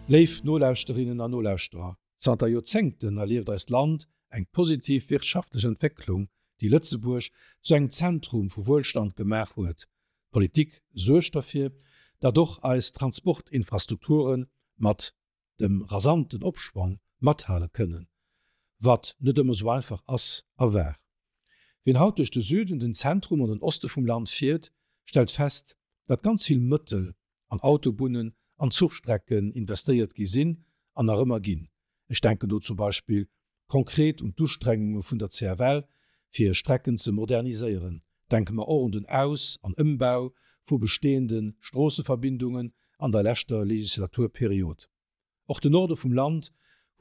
Léif Nolauschterinnen an Nolauschterer, zanter Joerzéngten erlieft eist Land eng positiv wirtschaftlech Entwécklung, déi Lëtzebuerg zu engem Zentrum vu Wuelstand gemaach huet. D'Politik suergt derfir, datt och eis Transportinfrastrukture mat dem rasanten Opschwong mathale kënnen, wat net ëmmer sou einfach ass a war. Wien haut duerch de Süden, den Zentrum an den Oste vum Land fiert, stellt fest, datt ganz vill Mëttel an Autobunnen an Zuchstrecken investéiert gi sinn an nach ëmmer ginn. Ech denken do zum Beispill konkret un d'Ustrengunge vun der CFL, fir Strecken ze moderniséieren. Denke mer och un den Aus an Ëmbau vu bestehende Stroosseverbindungen an der leschter Legislaturperiod. Och de Norde vum Land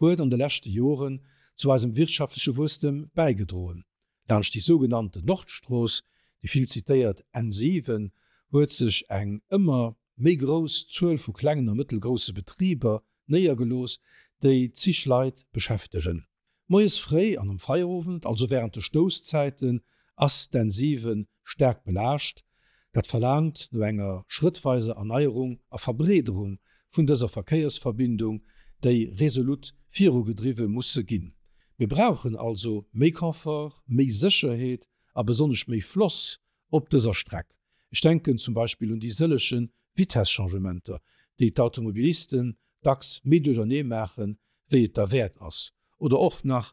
huet an de leschte Joren zu eisem wirtschaftleche Wuesstem bäigedroen. Laanscht déi sougenannten Nordstrooss, déi vill zitéiert N7, huet sech eng ëmmer méi grouss Zuel vu klengen a mëttelgrousse Betriber néiergelooss, déi zig Leit beschäftegen. Moies fréi an am Feierowend, also wärend de Stousszäiten, ass d'N7 staark belaascht. Dat verlaangt no enger schrëttweiser Erneierung a Verbreederung vun dëser Verkéiersverbindung, déi resolut virugedriwwe musse ginn. Mir brauchen also méi Confort, méi Sécherheet a besonnesch méi Floss op dëser Streck. Ech denken zum Beispill un déi sëllege Vitesschangementer, déi d'Automobilisten dacks méi duerchernee maachen, wéi et derwäert ass, oder och nach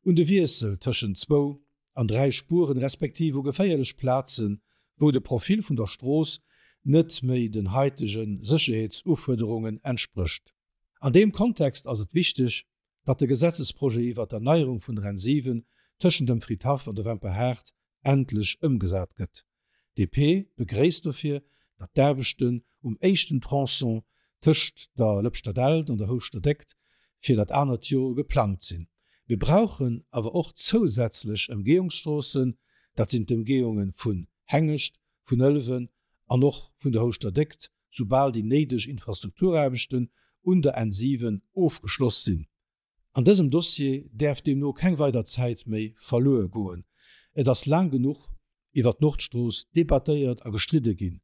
un de Wiessel tëschent zwou an 3 Spueren, respektiv u geféierlech Plazen, wou de Profil vun der Strooss net méi den haitege Sécherheetsufuerderungen entsprécht. An deem Kontext ass et wichteg, datt de Gesetzesprojet iwwert d'Erneierung vun der N7 tëschent dem Fridhaff an der Wemperhaart endlech ëmgesat gëtt. DP begréisst dofir, datt d'Aarbechten um éischten Tronçon tëscht der Lëpschter Dällt an der Houschter Déckt fir dat anert Joer geplangt sinn. Mir brauchen awer och zousätzlech Ëmgehungsstroossen, dat sinn d'Ëmgehunge vun Hengescht, vun Ëlwen an och vun der Houschter Déckt, soubal déi néideg Infrastrukturaarbechten un der N7 ofgeschloss sinn. An dësem Dossier däerf deemno keng weider Zäit méi verluer goen. Et ass laang genuch iwwer d'Nordstrooss debattéiert a gestridde ginn.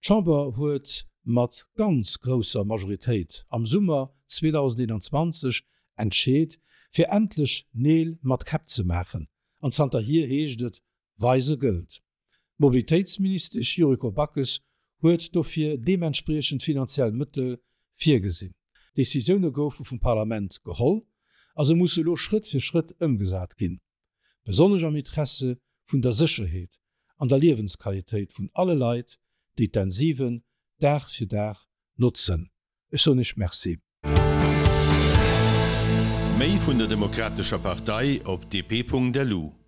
D'Chamber huet mat ganz grousser Majoritéit am Summer 2021 entscheet, fir endlech Neel mat Käpp ze maachen. An zanterhier heescht et, Weise gëllt. D'Mobilitéitsministesch Yuriko Backes huet dofir deementspriechend finanziell Mëttel virgesinn. D'Decisioune goufe vum Parlament geholl a se musse elo Schrëtt fir Schrëtt ëmgesat ginn, besonnesch am Interesse vun der Sécherheet an der Liewensqualitéit vun alle Leit, déi d'N7 Dag fir Dag notzen. Ech soen Iech Merci. Méi vun der Demokratescher Partei op dp.lu.